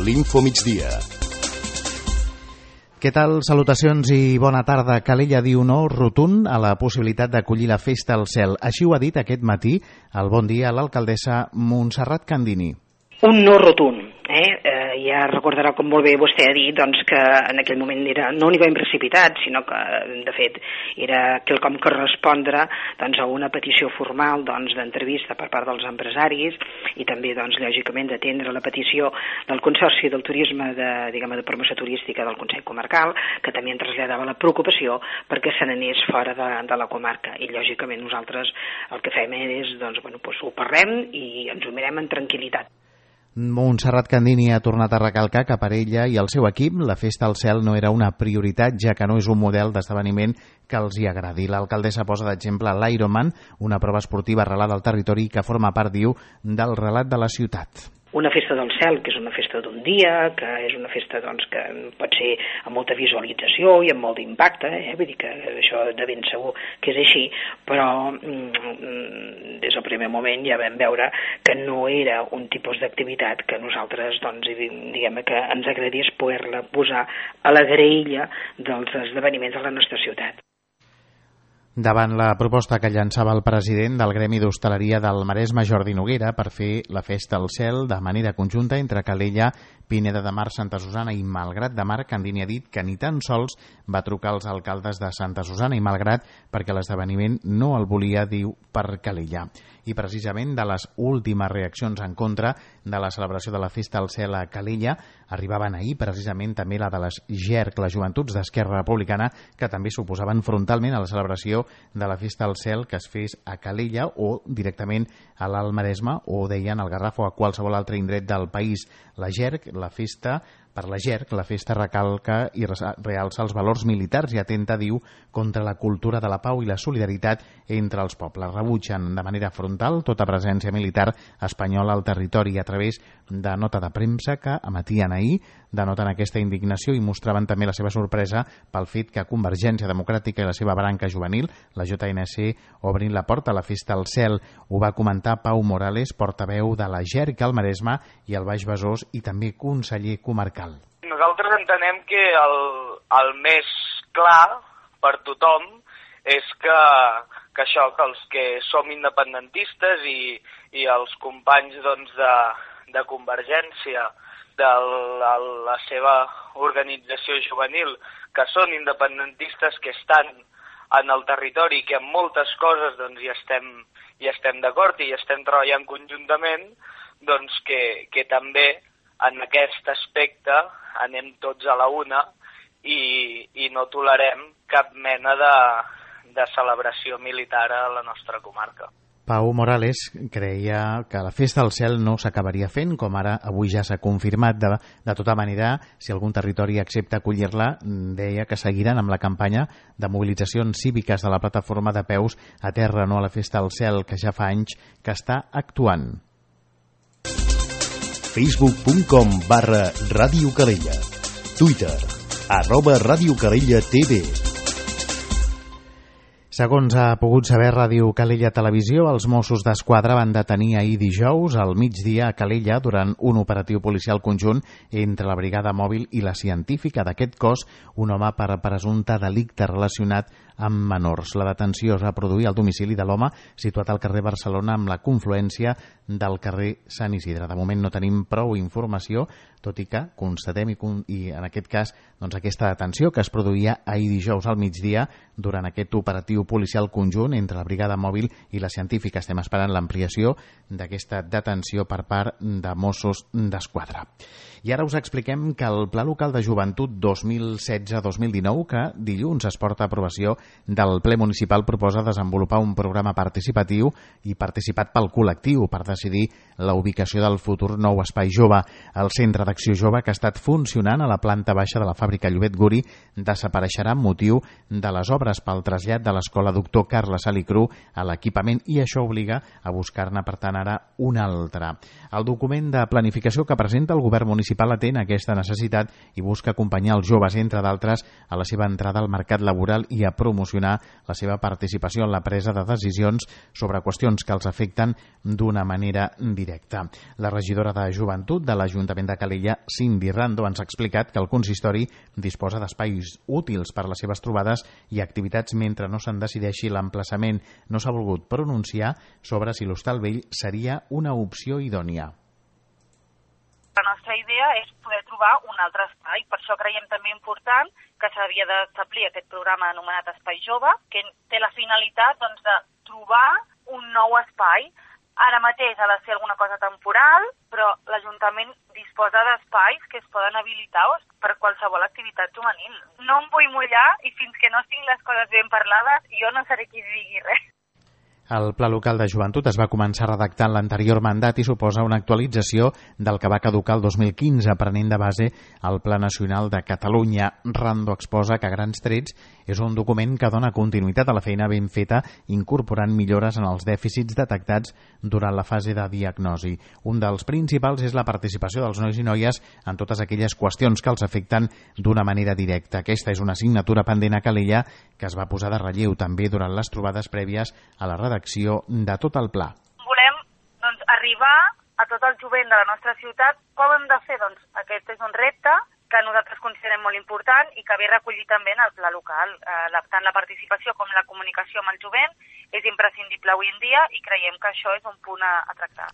l'Info Migdia. Què tal? Salutacions i bona tarda. Calella diu no rotund a la possibilitat d'acollir la festa al cel. Així ho ha dit aquest matí al Bon Dia l'alcaldessa Montserrat Candini. Un no rotund. Ja recordarà, com molt bé vostè ha dit, doncs, que en aquell moment no n'hi va precipitat, sinó que, de fet, era quelcom que respondre doncs, a una petició formal d'entrevista per part dels empresaris i també, doncs, lògicament, d'atendre la petició del Consorci del Turisme de promoció turística del Consell Comarcal, que també en traslladava la preocupació perquè se n'anés fora de la comarca. I, lògicament, nosaltres el que fem és, ho parlem i ens ho mirem en tranquil·litat. Montserrat Candini ha tornat a recalcar que per ella i el seu equip la festa al cel no era una prioritat, ja que no és un model d'esdeveniment que els hi agradi. L'alcaldessa posa d'exemple l'Ironman, una prova esportiva arrelada al territori que forma part, diu, del relat de la ciutat. Una festa del cel, que és una festa d'un dia, que és una festa que pot ser amb molta visualització i amb molt d'impacte, vull dir que això de ben segur que és així, però des del primer moment ja vam veure que no era un tipus d'activitat que nosaltres, que ens agradés poder-la posar a la graella dels esdeveniments de la nostra ciutat. Davant la proposta que llançava el president del Gremi d'Hostaleria del Maresme, Jordi Noguera, per fer la festa al cel de manera conjunta entre Calella, Pineda de Mar, Santa Susana i Malgrat de Mar, Candini ha dit que ni tan sols va trucar als alcaldes de Santa Susana i Malgrat perquè l'esdeveniment no el volia, diu, per Calella. I precisament de les últimes reaccions en contra de la celebració de la festa al cel a Calella arribaven ahir precisament també la de les GERC, les Joventuts d'Esquerra Republicana, que també s'oposaven frontalment a la celebració de la festa al cel que es fes a Calella o directament a l'Alt Maresme o, deien, al Garraf o a qualsevol altre indret del país. La GERC, la festa recalca i realça els valors militars i atenta, diu, contra la cultura de la pau i la solidaritat entre els pobles. Rebutgen de manera frontal tota presència militar espanyola al territori a través de nota de premsa que emetien ahir, denoten aquesta indignació i mostraven també la seva sorpresa pel fet que Convergència Democràtica i la seva branca juvenil, la JNC, obrin la porta a la festa al cel. Ho va comentar Pau Morales, portaveu de la GERC al Maresme i al Baix Besòs i també conseller comarcal. Nosaltres entenem que el més clar per tothom és que els que som independentistes i els companys de Convergència, de la seva organització juvenil, que són independentistes, que estan en el territori, que en moltes coses hi estem d'acord i estem treballant conjuntament, que també en aquest aspecte anem tots a la una i no tolerem cap mena de celebració militar a la nostra comarca. Pau Morales creia que la festa al cel no s'acabaria fent, com ara avui ja s'ha confirmat. De tota manera, si algun territori accepta acollir-la, deia que seguiran amb la campanya de mobilitzacions cíviques de la plataforma de peus a terra, no a la festa al cel, que ja fa anys que està actuant. Facebook.com/Ràdio Calella. Twitter @Ràdio Calella TV. Segons ha pogut saber Ràdio Calella Televisió, els Mossos d'Esquadra van detenir ahir dijous al migdia a Calella durant un operatiu policial conjunt entre la Brigada Mòbil i la Científica d'aquest cos, un home per presumpte delicte relacionat amb menors. La detenció es va produir al domicili de l'home situat al carrer Barcelona amb la confluència del carrer Sant Isidre. De moment no tenim prou informació, tot i que constatem i en aquest cas aquesta detenció que es produïa ahir dijous al migdia durant aquest operatiu policial conjunt entre la Brigada Mòbil i la Científica. Estem esperant l'ampliació d'aquesta detenció per part de Mossos d'Esquadra. I ara us expliquem que el Pla Local de Joventut 2016-2019, que dilluns es porta a aprovació del ple municipal, proposa desenvolupar un programa participatiu i participat pel col·lectiu per decidir la ubicació del futur nou espai jove. El Centre d'Acció Jove, que ha estat funcionant a la planta baixa de la fàbrica Llobet Guri, desapareixerà amb motiu de les obres pel trasllat de l'escola Doctor Carles Salicru a l'equipament i això obliga a buscar-ne, per tant, ara un altre. El document de planificació que presenta el govern municipal atén aquesta necessitat i busca acompanyar els joves, entre d'altres, a la seva entrada al mercat laboral i a promocionar la seva participació en la presa de decisions sobre qüestions que els afecten d'una manera directa. directe. La regidora de Joventut de l'Ajuntament de Calella, Cindy Rando, ens ha explicat que el consistori disposa d'espais útils per a les seves trobades i activitats mentre no se'n decideixi l'emplaçament. No s'ha volgut pronunciar sobre si l'Hostal Vell seria una opció idònia. La nostra idea és poder trobar un altre espai, per això creiem també important que s'havia d'establir aquest programa anomenat Espai Jove, que té la finalitat de trobar un nou espai. Ara mateix ha de ser alguna cosa temporal, però l'Ajuntament disposa d'espais que es poden habilitar per qualsevol activitat juvenil. No em vull mullar i fins que no tinc les coses ben parlades jo no seré qui digui res. El Pla Local de Joventut es va començar a redactar en l'anterior mandat i suposa una actualització del que va caducar el 2015, prenent de base el Pla Nacional de Catalunya. Rando exposa que a grans trets és un document que dona continuïtat a la feina ben feta, incorporant millores en els dèficits detectats durant la fase de diagnosi. Un dels principals és la participació dels nois i noies en totes aquelles qüestions que els afecten d'una manera directa. Aquesta és una assignatura pendent a Calella que es va posar de relleu també durant les trobades prèvies a la redacció de tot el pla. Volem arribar a tot el jovent de la nostra ciutat. Com hem de fer? Aquest és un repte que nosaltres considerem molt important i que ve recollit també en el pla local. Tant la participació com la comunicació amb el jovent és imprescindible avui en dia i creiem que això és un punt a tractar.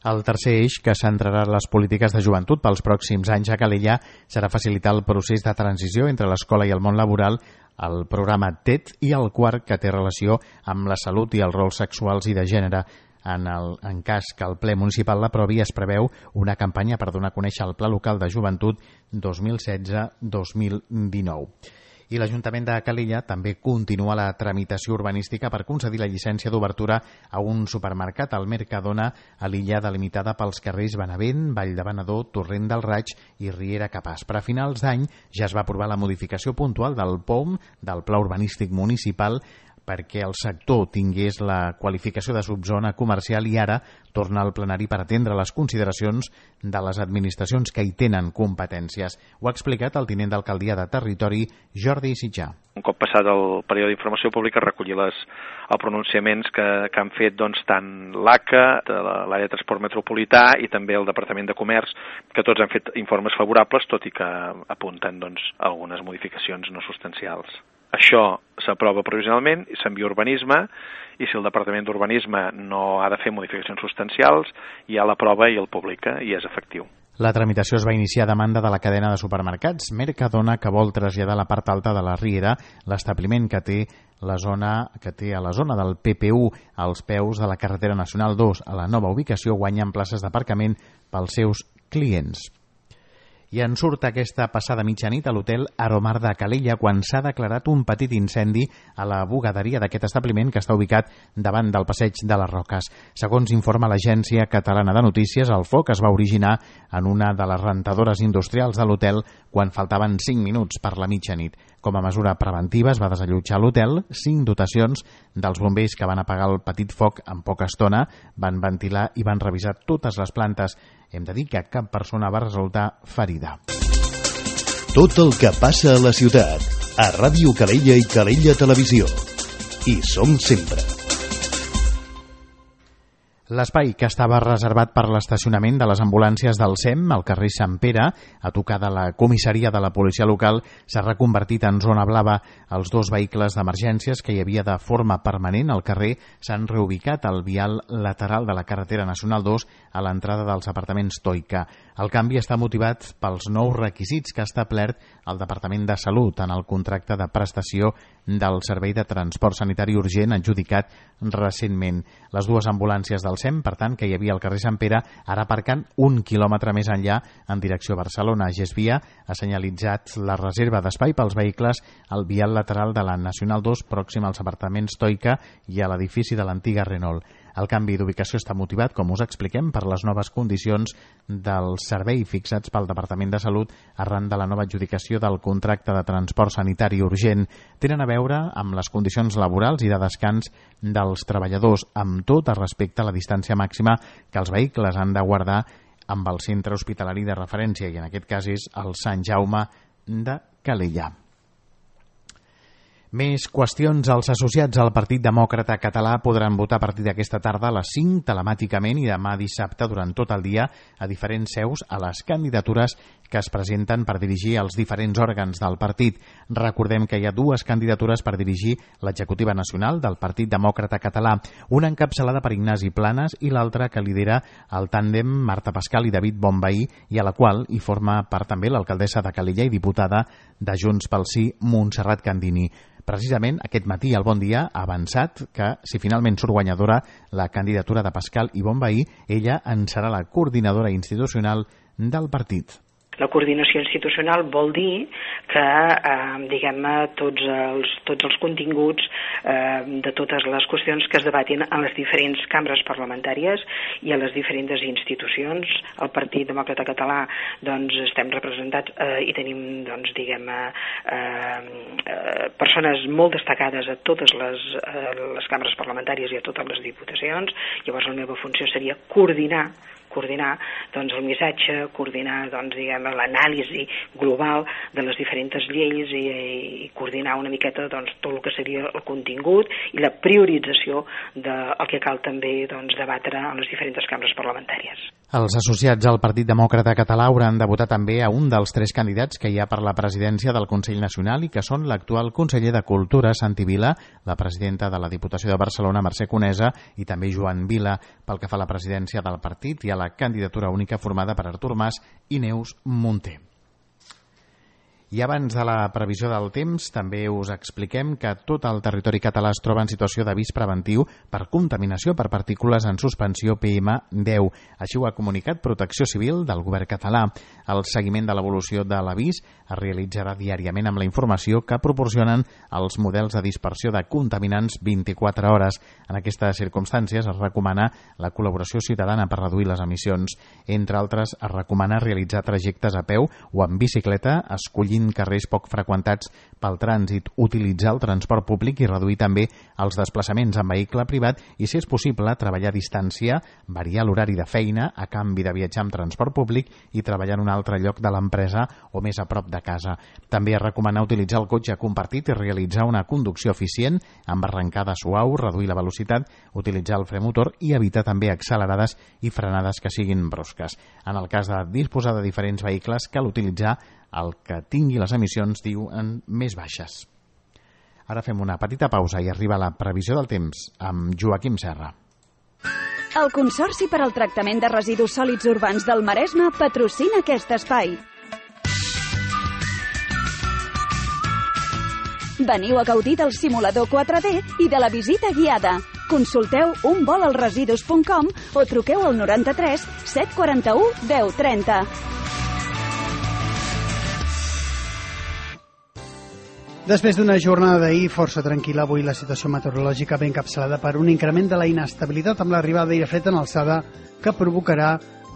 El tercer eix que centrarà les polítiques de joventut pels pròxims anys a Calella serà facilitar el procés de transició entre l'escola i el món laboral, el programa TET, i el quart, que té relació amb la salut i els rols sexuals i de gènere. En cas que el ple municipal l'aprovi, es preveu una campanya per donar a conèixer el Pla Local de Joventut 2016-2019. I l'Ajuntament de Calella també continua la tramitació urbanística per concedir la llicència d'obertura a un supermercat al Mercadona a l'illa delimitada pels carrers Benavent, Vall de Venedor, Torrent del Raig i Riera Capaç. Per a finals d'any ja es va aprovar la modificació puntual del POM, del Pla Urbanístic Municipal, perquè el sector tingués la qualificació de subzona comercial i ara torna al plenari per atendre les consideracions de les administracions que hi tenen competències. Ho ha explicat el tinent d'alcaldia de Territori, Jordi Sitjà. Un cop passat el període d'informació pública, recollir els pronunciaments que han fet tant l'ACA, de l'àrea de transport metropolità i també el Departament de Comerç, que tots han fet informes favorables, tot i que apunten algunes modificacions no substancials. Això s'aprova provisionalment i s'envia a Urbanisme, i si el Departament d'Urbanisme no ha de fer modificacions substancials, ja l'aprova i el publica i és efectiu. La tramitació es va iniciar a demanda de la cadena de supermercats Mercadona, que vol traslladar a la part alta de la Riera l'establiment que té a la zona del PPU, als peus de la carretera nacional 2. A la nova ubicació guanyen places d'aparcament pels seus clients. I en surt aquesta passada mitjanit a l'hotel Aromar de Calella quan s'ha declarat un petit incendi a la bugaderia d'aquest establiment que està ubicat davant del passeig de les Roques. Segons informa l'Agència Catalana de Notícies, el foc es va originar en una de les rentadores industrials de l'hotel quan faltaven 5 minuts per la mitjanit. Com a mesura preventiva es va desallotjar l'hotel, 5 dotacions dels bombers que van apagar el petit foc en poca estona, van ventilar i van revisar totes les plantes. Hem de dir que cap persona va resultar ferida. Tot el que passa a la ciutat, a Ràdio Calella i Calella Televisió. Hi som sempre. L'espai que estava reservat per l'estacionament de les ambulàncies del SEM al carrer Sant Pere, a tocar de la comissaria de la policia local, s'ha reconvertit en zona blava. Els 2 vehicles d'emergències que hi havia de forma permanent al carrer s'han reubicat al vial lateral de la carretera nacional 2 a l'entrada dels apartaments Toica. El canvi està motivat pels nous requisits que ha establert el Departament de Salut en el contracte de prestació del Servei de Transport Sanitari Urgent adjudicat recentment. Les 2 ambulàncies del SEM, per tant, que hi havia al carrer Sant Pere, ara aparcant 1 quilòmetre més enllà en direcció a Barcelona. GESVIA ha senyalitzat la reserva d'espai pels vehicles al vial lateral de la Nacional 2 pròxim als apartaments Toica i a l'edifici de l'antiga Renault. El canvi d'ubicació està motivat, com us expliquem, per les noves condicions del servei fixats pel Departament de Salut arran de la nova adjudicació del contracte de transport sanitari urgent. Tenen a veure amb les condicions laborals i de descans dels treballadors, amb tot respecte a la distància màxima que els vehicles han de guardar amb el centre hospitalari de referència, i en aquest cas és el Sant Jaume de Calella. Més qüestions. Els associats al Partit Demòcrata Català podran votar a partir d'aquesta tarda a les 5 telemàticament i demà dissabte durant tot el dia a diferents seus a les candidatures que es presenten per dirigir els diferents òrgans del partit. Recordem que hi ha dues candidatures per dirigir l'executiva nacional del Partit Demòcrata Català, una encapçalada per Ignasi Planas i l'altra que lidera el tàndem Marta Pascal i David Bonvehí, i a la qual hi forma part també l'alcaldessa de Calella i diputada de Junts pel Sí, Montserrat Candini. Precisament aquest matí el Bon Dia ha avançat que, si finalment surt guanyadora la candidatura de Pascal i Bonvehí, ella en serà la coordinadora institucional del partit. La coordinació institucional vol dir que, diguem-ne, tots els continguts de totes les qüestions que es debatin a les diferents cambres parlamentàries i a les diferents institucions. El Partit Demòcrata Català, doncs, estem representats i tenim, doncs, diguem-ne, persones molt destacades a totes les cambres parlamentàries i a totes les diputacions. Llavors la meva funció seria coordinar doncs, el missatge, coordinar, doncs, diguem, l'anàlisi global de les diferents lleis i coordinar una miqueta, doncs, tot el que seria el contingut i la priorització del que cal també, doncs, debatre a les diferents cambres parlamentàries. Els associats al Partit Demòcrata Català hauran de votar també a un dels 3 candidats que hi ha per la presidència del Consell Nacional i que són l'actual conseller de Cultura, Santi Vila, la presidenta de la Diputació de Barcelona, Mercè Conesa, i també Joan Vila, pel que fa a la presidència del partit i a la candidatura única formada per Artur Mas i Neus Munté. I abans de la previsió del temps, també us expliquem que tot el territori català es troba en situació d'avís preventiu per contaminació per partícules en suspensió PM10. Així ho ha comunicat Protecció Civil del govern català. El seguiment de l'evolució de l'avís es realitzarà diàriament amb la informació que proporcionen els models de dispersió de contaminants 24 hores. En aquestes circumstàncies es recomana la col·laboració ciutadana per reduir les emissions. Entre altres, es recomana realitzar trajectes a peu o en bicicleta, escollint carrers poc freqüentats pel trànsit, utilitzar el transport públic i reduir també els desplaçaments en vehicle privat i, si és possible, treballar a distància, variar l'horari de feina a canvi de viatjar amb transport públic i treballar en un altre lloc de l'empresa o més a prop de casa. També es recomana utilitzar el cotxe compartit i realitzar una conducció eficient amb arrencada suau, reduir la velocitat, utilitzar el fre motor i evitar també accelerades i frenades que siguin brusques. En el cas de disposar de diferents vehicles, cal utilitzar el que tingui les emissions, diuen, més baixes. Ara fem una petita pausa i arriba la previsió del temps amb Joaquim Serra. El Consorci per al Tractament de Residus Sòlids Urbans del Maresme patrocina aquest espai. Veniu a gaudir del simulador 4D i de la visita guiada. Consulteu unvolalresidus.com o truqueu al 93 741 1030. Després d'una jornada d'ahir força tranquil·la, avui la situació meteorològica ve encapçalada per un increment de la inestabilitat amb l'arribada d'aire fred en alçada que provocarà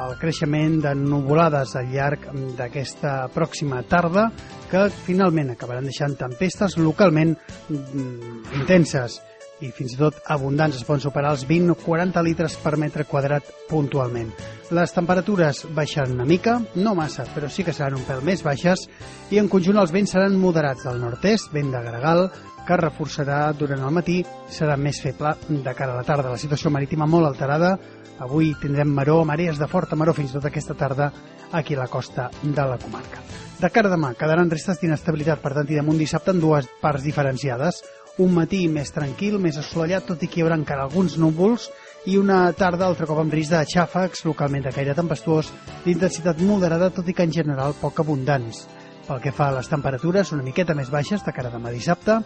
el creixement de nuvolades al llarg d'aquesta pròxima tarda que finalment acabaran deixant tempestes localment intenses i fins i tot abundants. Es poden superar els 20 o 40 litres per metre quadrat puntualment. Les temperatures baixaran una mica, no massa, però sí que seran un pèl més baixes, i en conjunt els vents seran moderats del nord-est, vent de gregal, que es reforçarà durant el matí, serà més feble de cara a la tarda. La situació marítima molt alterada, avui tindrem maró, marees de forta maró fins i tot aquesta tarda aquí a la costa de la comarca. De cara a demà quedaran restes d'inestabilitat, per tant, i damunt dissabte en dues parts diferenciades. Un matí més tranquil, més assolellat, tot i que hi haurà encara alguns núvols, i una tarda altre cop amb risc de xàfecs, localment de caire tempestuós, d'intensitat moderada, tot i que en general poc abundants. Pel que fa a les temperatures, una miqueta més baixes de cara a demà dissabte,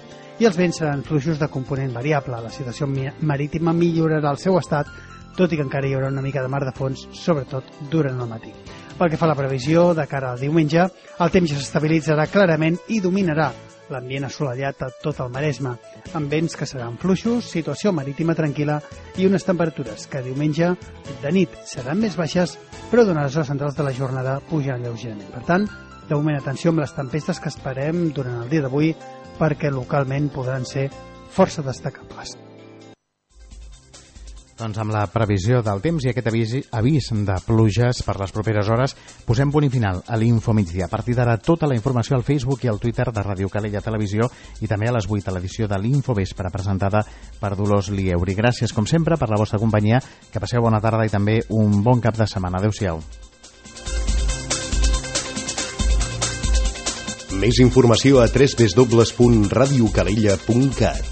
i els vents seran fluixos de component variable. La situació marítima millorarà el seu estat, tot i que encara hi haurà una mica de mar de fons, sobretot durant el matí. Pel que fa a la previsió, de cara al diumenge, el temps ja s'estabilitzarà clarament i dominarà l'ambient assolellat a tot el Maresme, amb vents que seran fluixos, situació marítima tranquil·la i unes temperatures que diumenge de nit seran més baixes, però durant les hores centrals de la jornada pujaran lleugerament. Per tant, de moment atenció amb les tempestes que esperem durant el dia d'avui, perquè localment podran ser força destacables. Doncs amb la previsió del temps i aquest avís de pluges per les properes hores, posem punt i final a l'Info Migdia. A partir d'ara, tota la informació al Facebook i al Twitter de Ràdio Calella Televisió i també a les 8 a l'edició de l'Info Vespre, presentada per Dolors Lieuri. Gràcies, com sempre, per la vostra companyia. Que passeu bona tarda i també un bon cap de setmana. Adéu-siau. Més informació a www.radiocalella.cat.